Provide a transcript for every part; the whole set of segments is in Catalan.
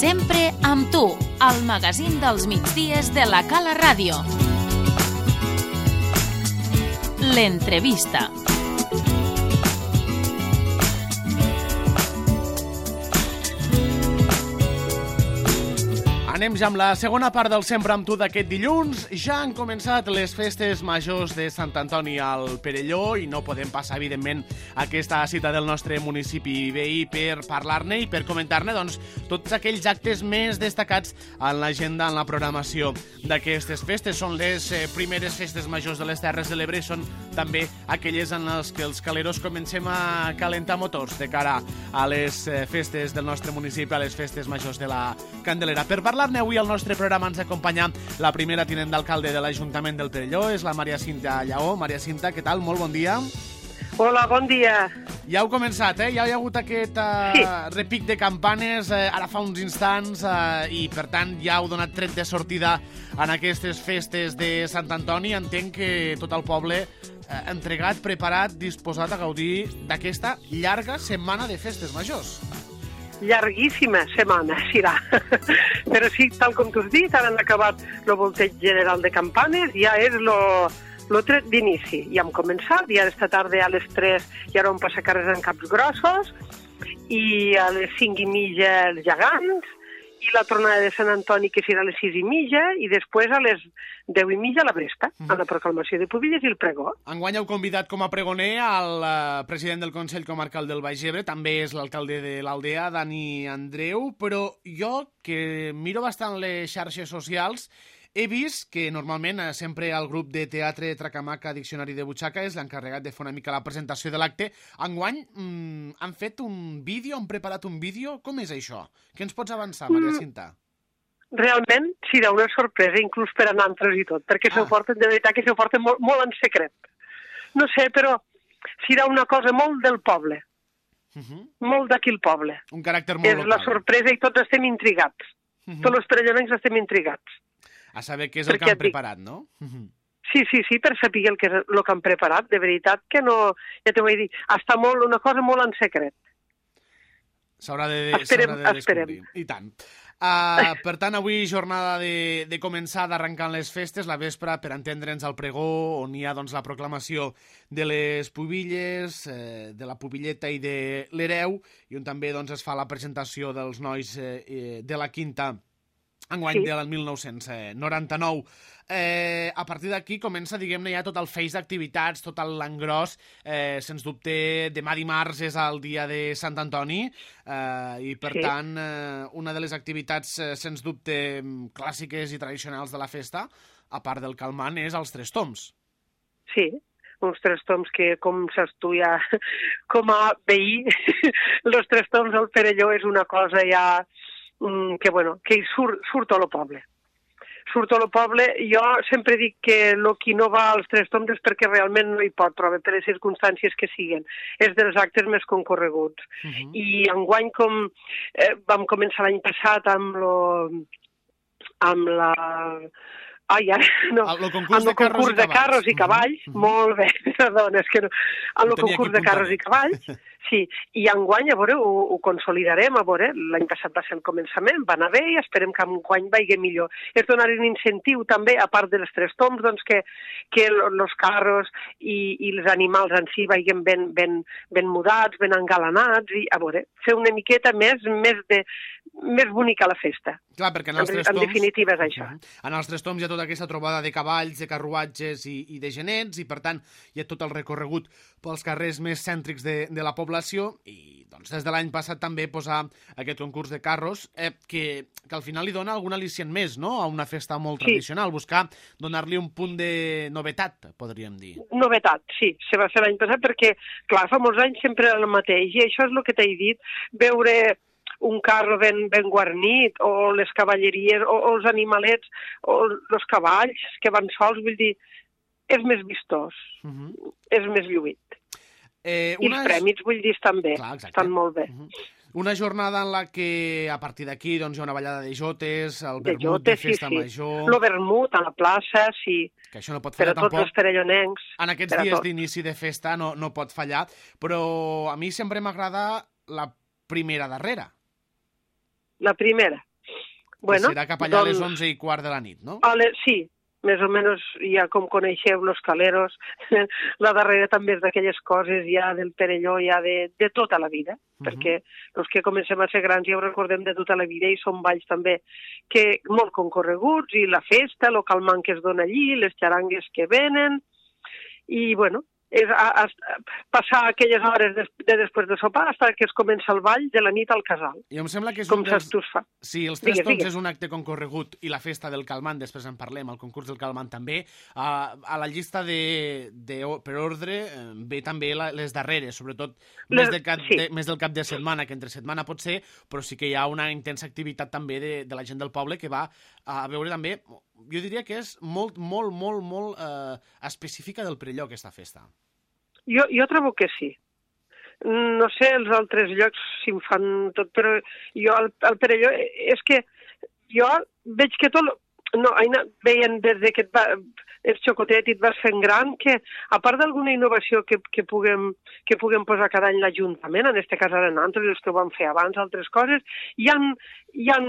Sempre amb tu, al magazín dels migdies de la Cala Ràdio. L'entrevista. Anem ja amb la segona part del Sempre amb tu d'aquest dilluns. Ja han començat les festes majors de Sant Antoni al Perelló i no podem passar, evidentment, aquesta cita del nostre municipi veí per parlar-ne i per comentar-ne tots aquells actes més destacats en l'agenda, en la programació d'aquestes festes. Són les primeres festes majors de les Terres de l'Ebre i són també aquelles en les que els caleros comencem a calentar motors de cara a les festes del nostre municipi, a les festes majors de la Candelera. Per parlar avui al nostre programa ens acompanya la primera tinent d'alcalde de l'Ajuntament del Perelló, és la Maria Cinta Lleó. Maria Cinta, què tal? Molt bon dia. Hola, bon dia. Ja heu començat, Ja hi ha hagut aquest repic de campanes ara fa uns instants i, per tant, ja heu donat tret de sortida en aquestes festes de Sant Antoni. Entenc que tot el poble entregat, preparat, disposat a gaudir d'aquesta llarga setmana de festes majors. Llarguíssima setmana, serà. Però sí, tal com tu has dit, ara han acabat el volteig general de campanes, ja és lo tret d'inici. Ja hem començat, ja esta tarda a les 3 ja vam passar carrers en Caps Grossos, i a les 5:30 els gegants, i la tronada de Sant Antoni, que serà a les 6:30, i després a les 10:30 la Bresta, amb la proclamació de Pubilles i el pregó. Enguany heu convidat com a pregoner al president del Consell Comarcal del Baix Ebre, també és l'alcalde de l'Aldea, Dani Andreu, però jo, que miro bastant les xarxes socials, he vist que normalment sempre el grup de teatre Tracamaca Diccionari de Butxaca és l'encarregat de fer una mica la presentació de l'acte. Enguany han fet un vídeo, han preparat un vídeo. Com és això? Què ens pots avançar, Maria Cinta? Realment serà una sorpresa, inclús per a nantres i tot, perquè s'ho porten, de veritat que s'ho porten molt en secret. No sé, però serà una cosa molt del poble. Molt d'aquí el poble. Un caràcter molt local. És la sorpresa i tots estem intrigats. Tots els perellonencs estem intrigats. A saber què és el que han preparat, no? Sí, per saber el que és el que han preparat. De veritat que no... Ja t'ho vaig dir, està una cosa molt en secret. S'haurà de descobrir. I tant. Per tant, avui jornada de començar, d'arrencar les festes, la vespre, per entendre'ns al pregó, on hi ha la proclamació de les pubilles, de la pubilleta i de l'hereu, i on també es fa la presentació dels nois de la quinta enguany del 1999. A partir d'aquí comença, diguem-ne, ja tot el feix d'activitats, tot l'engròs. Sens dubte, demà dimarts és el dia de Sant Antoni i, per tant, una de les activitats, sens dubte, clàssiques i tradicionals de la festa, a part del calmant, és els tres tombs. Sí, uns tres tombs que, com saps tu ja, com a veí, els tres tombs del Perelló és una cosa ja que surt a lo poble. Surt a lo poble. Jo sempre dic que qui no va als tres tombs és perquè realment no hi pot, però per les circumstàncies que siguen. És dels actes més concorreguts. I enguany, com vam començar l'any passat amb el concurs de carros i cavalls, molt bé, perdona, és que no, amb el concurs de carros i cavalls, sí, i enguany, a veure, ho consolidarem, a veure, l'any passat va ser el començament, va anar bé i esperem que enguany vagi millor. És donar un incentiu també, a part de les tres tombs, doncs que els carros i els animals en si vagin ben mudats, ben engalanats, i a veure, fer una miqueta més bonica la festa. Clar, perquè en els tres tombs... En definitiva és això. En els tres tombs hi ha tota aquesta trobada de cavalls, de carruatges i de genets, i per tant hi ha tot el recorregut pels carrers més cèntrics de la població, i doncs des de l'any passat també posar aquest concurs de carros que al final li dona algun al·licient més, no?, a una festa molt tradicional, buscar donar-li un punt de novetat, podríem dir. Novetat, sí, se va fer l'any passat perquè, clar, fa molts anys sempre era el mateix, i això és el que t'he dit, veure un carro ben guarnit, o les cavalleries, o els animalets, o els cavalls que van sols, vull dir, és més vistós, és més lluït. I els prèmits, vull dir, estan bé, estan molt bé. Una jornada en la que, a partir d'aquí, hi ha una ballada de jotes, el vermut de festa major... El vermut a la plaça, sí. Que això no pot fallar tampoc. Per a tots els perellonencs. En aquests dies d'inici de festa no pot fallar, però a mi sempre m'agrada la primera darrera. La primera. Bueno, que serà cap allà a les 11:15 de la nit, no? Sí, més o menys ja com coneixeu los caleros, la darrera també és d'aquelles coses ja del Perelló, ja de tota la vida, perquè els que comencem a ser grans ja ho recordem de tota la vida i són balls també que molt concorreguts, i la festa, el calmant que es dona allí, les xarangues que venen, i bueno, és passar aquelles hores després de sopar fins que es comença el ball de la nit al casal. I em sembla que és com saps tu es fa. Sí, els Tres Tombs és un acte concorregut i la festa del calmant, després en parlem, el concurs del calmant també. A la llista per ordre ve també les darreres, sobretot més del cap de setmana, que entre setmana pot ser, però sí que hi ha una intensa activitat també de la gent del poble que va a veure també, jo diria que és molt específica del Perelló, aquesta festa. Jo trobo que sí. No sé els altres llocs si em fan tot, però jo al Perelló és que jo veig que tot... No, Aina, veien des que ets xocotet i et vas fent gran, que a part d'alguna innovació que puguem posar cada any l'Ajuntament, en aquest cas ara nosaltres, els que ho vam fer abans, altres coses, hi ha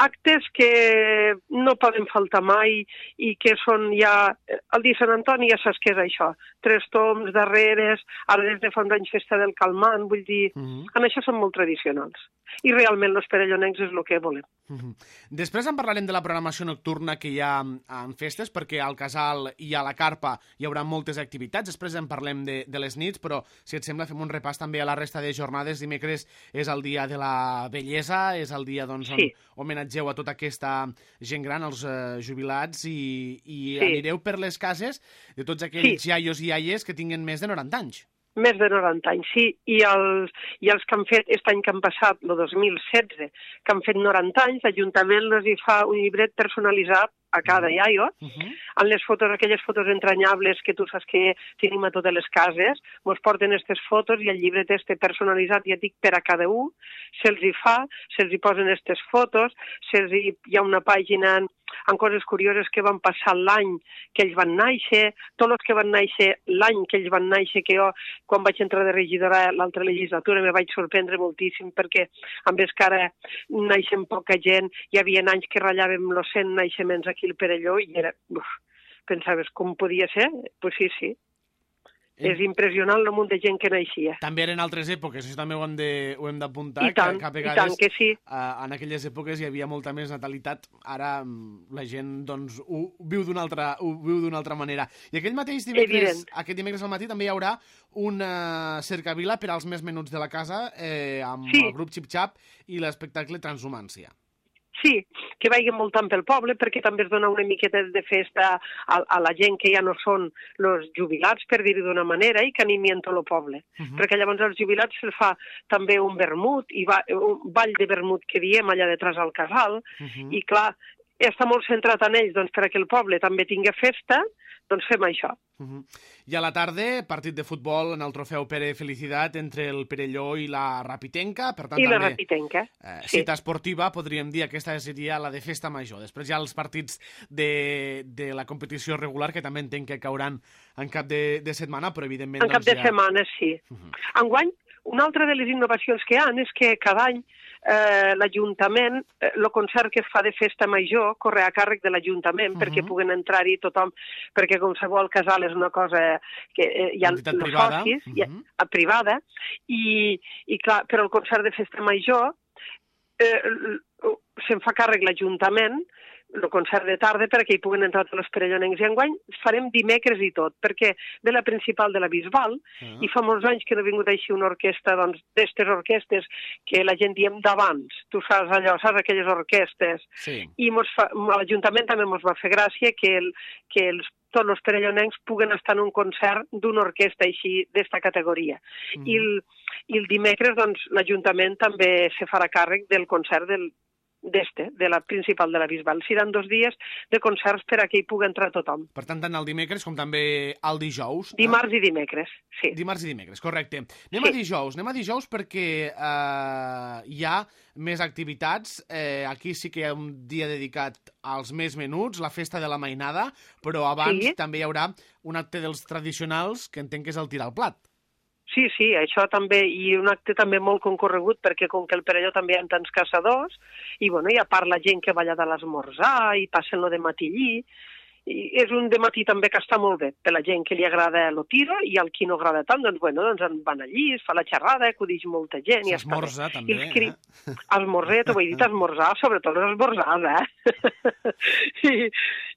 actes que no poden faltar mai i que són ja... El dia Sant Antoni ja saps què és això, Tres Tombs, darreres, ara des de fa uns anys festa del calmant, vull dir, en això són molt tradicionals. I realment els perellonencs és el que volem. Després en parlarem de la programació nocturna que hi ha en festes, perquè al Casal i a la Carpa hi haurà moltes activitats. Després en parlem de les nits, però si et sembla fem un repàs també a la resta de jornades. Dimecres és el dia de la bellesa, és el dia on homenatgeu a tota aquesta gent gran, els jubilats, i anireu per les cases de tots aquells iaios i iaies que tinguen més de 90 anys. Més de 90 anys, sí. I els que han fet, aquest any que han passat, el 2016, que han fet 90 anys, l'Ajuntament els hi fa un llibret personalitzat a cada iaio, amb les fotos, aquelles fotos entranyables que tu saps que tenim a totes les cases, ens porten aquestes fotos i el llibret este personalitzat, ja dic, per a cada un, se'ls hi fa, se'ls hi posen aquestes fotos, hi ha una pàgina amb coses curioses que van passar l'any que ells van néixer, tots els que van néixer l'any que ells van néixer, que jo, quan vaig entrar de regidora a l'altra legislatura, me vaig sorprendre moltíssim, perquè amb més que ara naixen poca gent, hi havia anys que ratllàvem els 100 naixements aquí al Perelló i era... pensaves com podia ser? Pues sí. És impressionant el munt de gent que naixia. També eren altres èpoques, això també ho hem d'apuntar, que a vegades que sí. En aquelles èpoques hi havia molta més natalitat, ara la gent doncs, ho viu d'una altra manera. I aquest dimecres al matí també hi haurà una cercavila per als més menuts de la casa amb el grup Xip Xap i l'espectacle Transhumància. Sí, que vagin voltant pel poble, perquè també es dona una miqueta de festa a la gent que ja no són els jubilats, per dir-ho d'una manera, i que animien tot el poble. Perquè llavors als jubilats se'ls fa també un vermut, un ball de vermut que diem allà detrás al casal, i clar, està molt centrat en ells, doncs perquè el poble també tingui festa, doncs fem això. I a la tarda, partit de futbol en el trofeu Pere Felicitat entre el Perelló i la Rapitenca. Per tant, la Rapitenca, cita esportiva, podríem dir, aquesta seria la de festa major. Després hi ha els partits de la competició regular, que també entenc que cauran en cap de setmana, però evidentment... En cap de setmana, sí. Enguany, una altra de les innovacions que hi ha és que cada any l'Ajuntament, el concert que es fa de festa major corre a càrrec de l'Ajuntament perquè puguen entrar-hi tothom, perquè com sabeu el casal és una cosa que hi ha els socis, privada, i clar, però el concert de festa major se'n fa càrrec l'Ajuntament, el concert de tarda, perquè hi puguen entrar tots els perellonencs. I enguany farem dimecres i tot, perquè ve la principal de la Bisbal, i fa molts anys que no ha vingut així una orquestra, doncs, d'estes orquestes que la gent diem d'abans. Tu saps allò, saps aquelles orquestes? Sí. I l'Ajuntament també ens va fer gràcia que tots els perellonencs puguen estar en un concert d'una orquestra així, d'esta categoria. I el dimecres, doncs, l'Ajuntament també se farà càrrec del concert de la principal de la Bisbal. Seran 2 dies de concerts per a que hi pugui entrar tothom. Per tant, tant el dimecres com també el dijous. Dimarts i dimecres, sí. Dimarts i dimecres, correcte. Anem a dijous perquè hi ha més activitats. Aquí sí que hi ha un dia dedicat als més menuts, la festa de la mainada, però abans també hi haurà un acte dels tradicionals que entenc que és el tirar al plat. Sí, això també, i un acte també molt concorregut, perquè com que el Perelló també hi ha tants caçadors, i bueno, i a part la gent que va allà de l'esmorzar, i passen lo de matí allí, i és un dematí també que està molt bé, per la gent que li agrada el tiro, i al qui no agrada tant, doncs en van allí, es fa la xerrada, acudix molta gent, i s'esmorza també, Esmorzar, t'ho he dit, esmorzar, sobretot les esmorzars,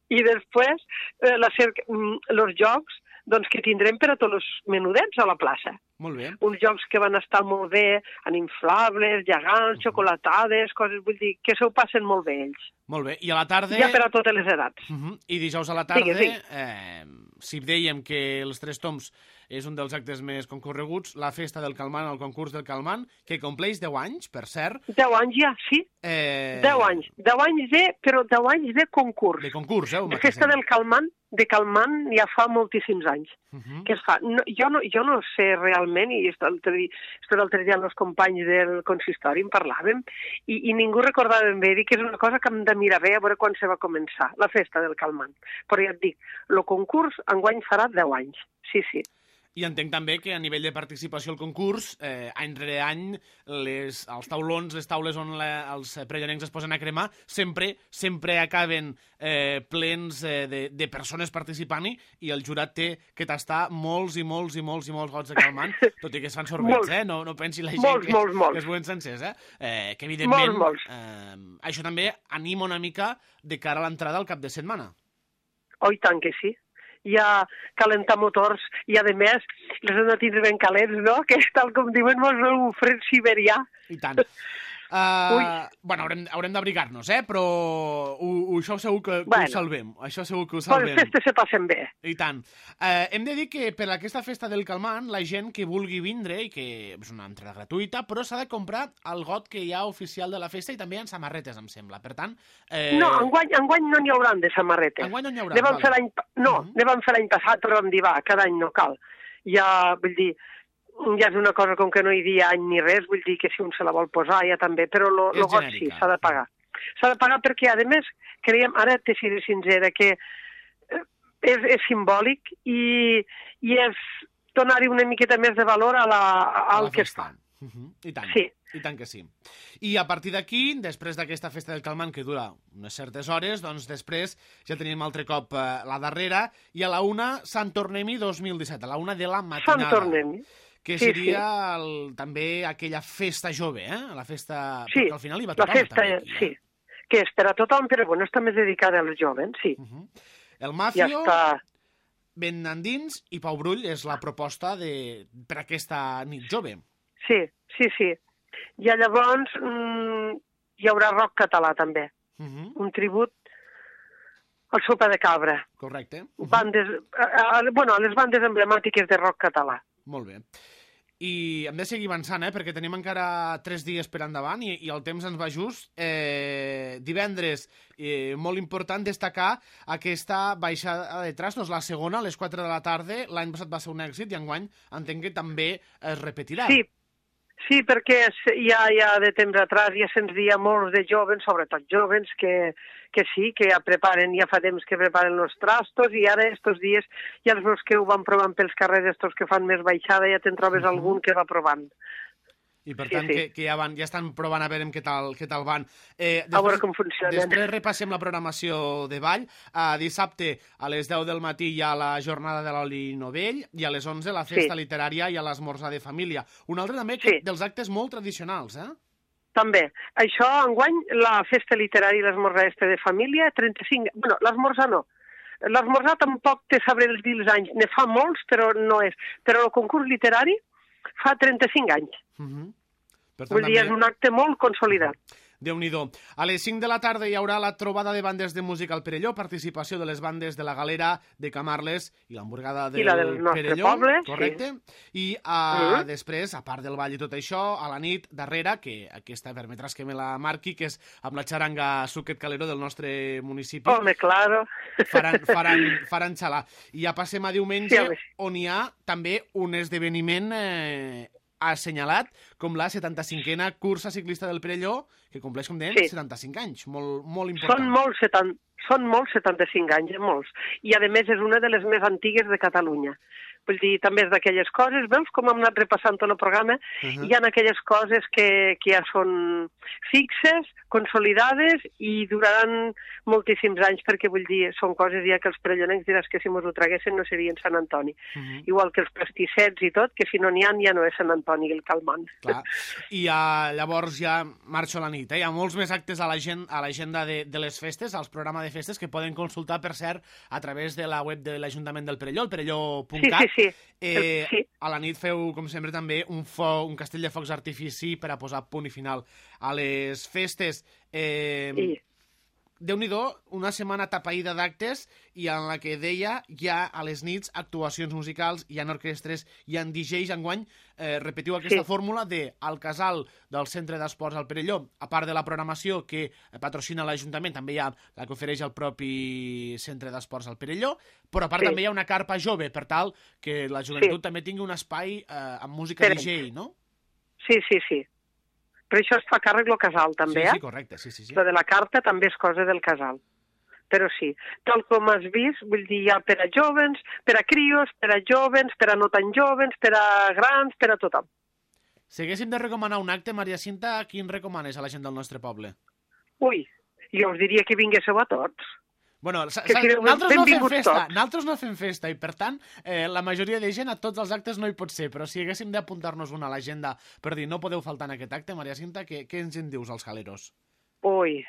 I després, els jocs, doncs que tindrem per a tots els menudets a la plaça. Molt bé. Uns jocs que van estar molt bé, en inflables, gegants, xocolatades, coses, vull dir, que s'ho passen molt bé ells. Molt bé, i a la tarda... Ja per a totes les edats. I dijous a la tarda, si dèiem que els Tres Tombs és un dels actes més concorreguts, la festa del Calmant, el concurs del Calmant, que compleix 10 anys, per cert. 10 anys ja, sí. 10 anys. 10 anys però 10 anys de concurs. De concurs, La festa del Calmant, ja fa moltíssims anys que es fa. No, jo no sé realment, i l'altre dia amb els companys del consistori en parlàvem, i ningú recordava ben bé, que és una cosa que hem de mirar bé a veure quan se va començar, la festa del Calmant. Però ja et dic, el concurs enguany farà 10 anys, sí. I entenc també que a nivell de participació al concurs, any rere any, els taulons, les taules on els prellanencs es posen a cremar, sempre acaben plens de persones participant-hi, i el jurat té que tastar molts gots de Calmant, tot i que es fan sorbets, no pensi la gent que es veuen sencers, que evidentment això també anima una mica de cara a l'entrada al cap de setmana. Oh, i tant que sí. Ja calentar motors, i a més les hem de tindre ben calents, no? Que és tal com diuen un fred siberià. I tant. Bueno, haurem d'abrigar-nos, però això segur que ho salvem. Això segur que ho salvem. Les festes se passen bé. I tant. Hem de dir que per aquesta festa del Calmant, la gent que vulgui vindre, i que és una entrada gratuïta, però s'ha de comprar el got que hi ha oficial de la festa, i també hi ha samarretes, em sembla. Per tant... No, enguany no n'hi hauran de samarretes. Enguany no n'hi haurà. Ne vam fer l'any passat, però vam dir, cada any no cal. Ja, vull dir... Ja és una cosa com que no hi havia any ni res, vull dir que si un se la vol posar ja també, però el got sí, s'ha de pagar. S'ha de pagar perquè, a més, creiem, ara te seré sincera, que és simbòlic i és donar-hi una miqueta més de valor al que es fa. I tant, sí. I tant que sí. I a partir d'aquí, després d'aquesta festa del Calmant, que dura unes certes hores, doncs després ja tenim altre cop la darrera, i a la 1 Sant Tornem-hi 2017, a la 1 de la matinada. Sant Tornem-hi. Que seria també aquella festa jove, la festa... Perquè al final hi va tothom. La festa, sí. Que és per a tothom, però bueno, està més dedicada als joves, sí. El Mafio, ben endins, i Pau Brull és la proposta per aquesta nit jove. Sí. I llavors hi haurà rock català, també. Un tribut al Sopa de Cabra. Correcte. A les bandes emblemàtiques de rock català. Molt bé. I hem de seguir avançant, perquè tenim encara 3 dies per endavant i el temps ens va just. Divendres, molt important destacar aquesta baixada de trastos, la segona, a les 4 de la tarda. L'any passat va ser un èxit i enguany entenc que també es repetirà. Sí, perquè ja de temps atrás ja se'ns dia molts de joves, sobretot joves, que sí, que ja fa temps que preparen els trastos, i ara estos dies ja els meus que ho van provant pels carrers, estos que fan més baixada, ja te'n trobes algun que va provant. I per tant que ja estan provant a veure què tal van. A veure com funcionen. Després repassem la programació de ball. Dissabte a les 10 del matí hi ha la jornada de l'oli novell, i a les 11 la festa literària i a l'esmorzar de família. Un altre també dels actes molt tradicionals, També. Això, enguany, la festa literària i l'esmorzar de família, 35... Bueno, l'esmorzar no. L'esmorzar tampoc te sabré dir els anys. Ne fa molts, però no és. Però el concurs literari fa 35 anys. Vull dir, és un acte molt consolidat. Déu-n'hi-do. A les 5 de la tarda hi haurà la trobada de bandes de música al Perelló, participació de les bandes de la Galera, de Camarles i l'hamburgada del Perelló. Poble, correcte. I després, a part del ball i tot això, a la nit, darrere, que aquesta permetràs que me la marqui, que és amb la xaranga Suquet Calero del nostre municipi. Home, claro. Faran xalar. I ja passem a diumenge, on hi ha també un esdeveniment assenyalat com la 75a cursa ciclista del Perelló, que compleix, com dèiem, 75 anys. Molt important. Són molts 75 anys, molts. I, a més, és una de les més antigues de Catalunya. Vull dir, també és d'aquelles coses, veus com hem anat repassant tot el programa, hi ha aquelles coses que ja són fixes, consolidades i duraran moltíssims anys, perquè vull dir, són coses ja que els perellonencs diràs que si mos ho traguessin no serien Sant Antoni. Igual que els pastissets i tot, que si no n'hi ha, ja no és Sant Antoni el calmant. Clar, i llavors ja marxo a la nit. Hi ha molts més actes a l'agenda de les festes, als programes de festes, que poden consultar, per cert, a través de la web de l'Ajuntament del Perelló, el perelló.cat. Sí. A la nit feu, com sempre, també un castell de focs d'artifici per a posar punt i final a les festes. Déu-n'hi-do, una setmana tapaïda d'actes i en la que deia hi ha a les nits actuacions musicals, hi ha orquestres, hi ha DJs. Enguany repetiu aquesta fórmula al casal del Centre d'Esports al Perelló, a part de la programació que patrocina l'Ajuntament, també hi ha la que ofereix el propi Centre d'Esports al Perelló, però a part també hi ha una carpa jove, per tal que la joventut també tingui un espai amb música DJ, no? Sí. Però això es fa càrrec del casal, també, Sí, correcte, sí. Lo de la carta també és cosa del casal. Però sí, tal com has vist, vull dir, hi ha per a jovens, per a crios, per a jovens, per a no tan jovens, per a grans, per a tothom. Si haguéssim de recomanar un acte, Maria Cinta, quin recomanes a la gent del nostre poble? Ui, jo us diria que vinguéssiu a tots. Bueno, nosaltres no fem festa i, per tant, la majoria de gent a tots els actes no hi pot ser, però si haguéssim d'apuntar-nos una a l'agenda per dir no podeu faltar en aquest acte, Maria Cinta, què ens en dius als jaleros? Ui,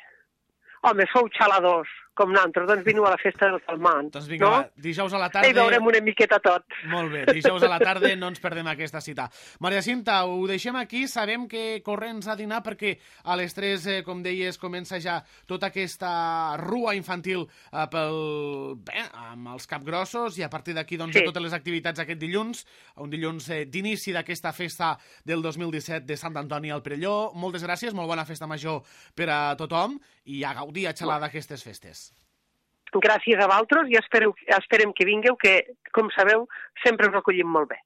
home, sou xaladors, com nosaltres, doncs veniu a la festa del calmant. Doncs vinga, no? Dijous a la tarda... I veurem una miqueta tot. Molt bé, dijous a la tarda no ens perdem aquesta cita. Maria Cinta, ho deixem aquí, sabem que corrents a dinar perquè a les 3, com deies, comença ja tota aquesta rua infantil amb els capgrossos i a partir d'aquí doncs, totes les activitats aquest dilluns, un dilluns d'inici d'aquesta festa del 2017 de Sant Antoni al Perelló. Moltes gràcies, molt bona festa major per a tothom i a gaudir, a xalar d'aquestes festes. Gràcies a vosaltres i esperem que vingueu, que, com sabeu, sempre us acollim molt bé.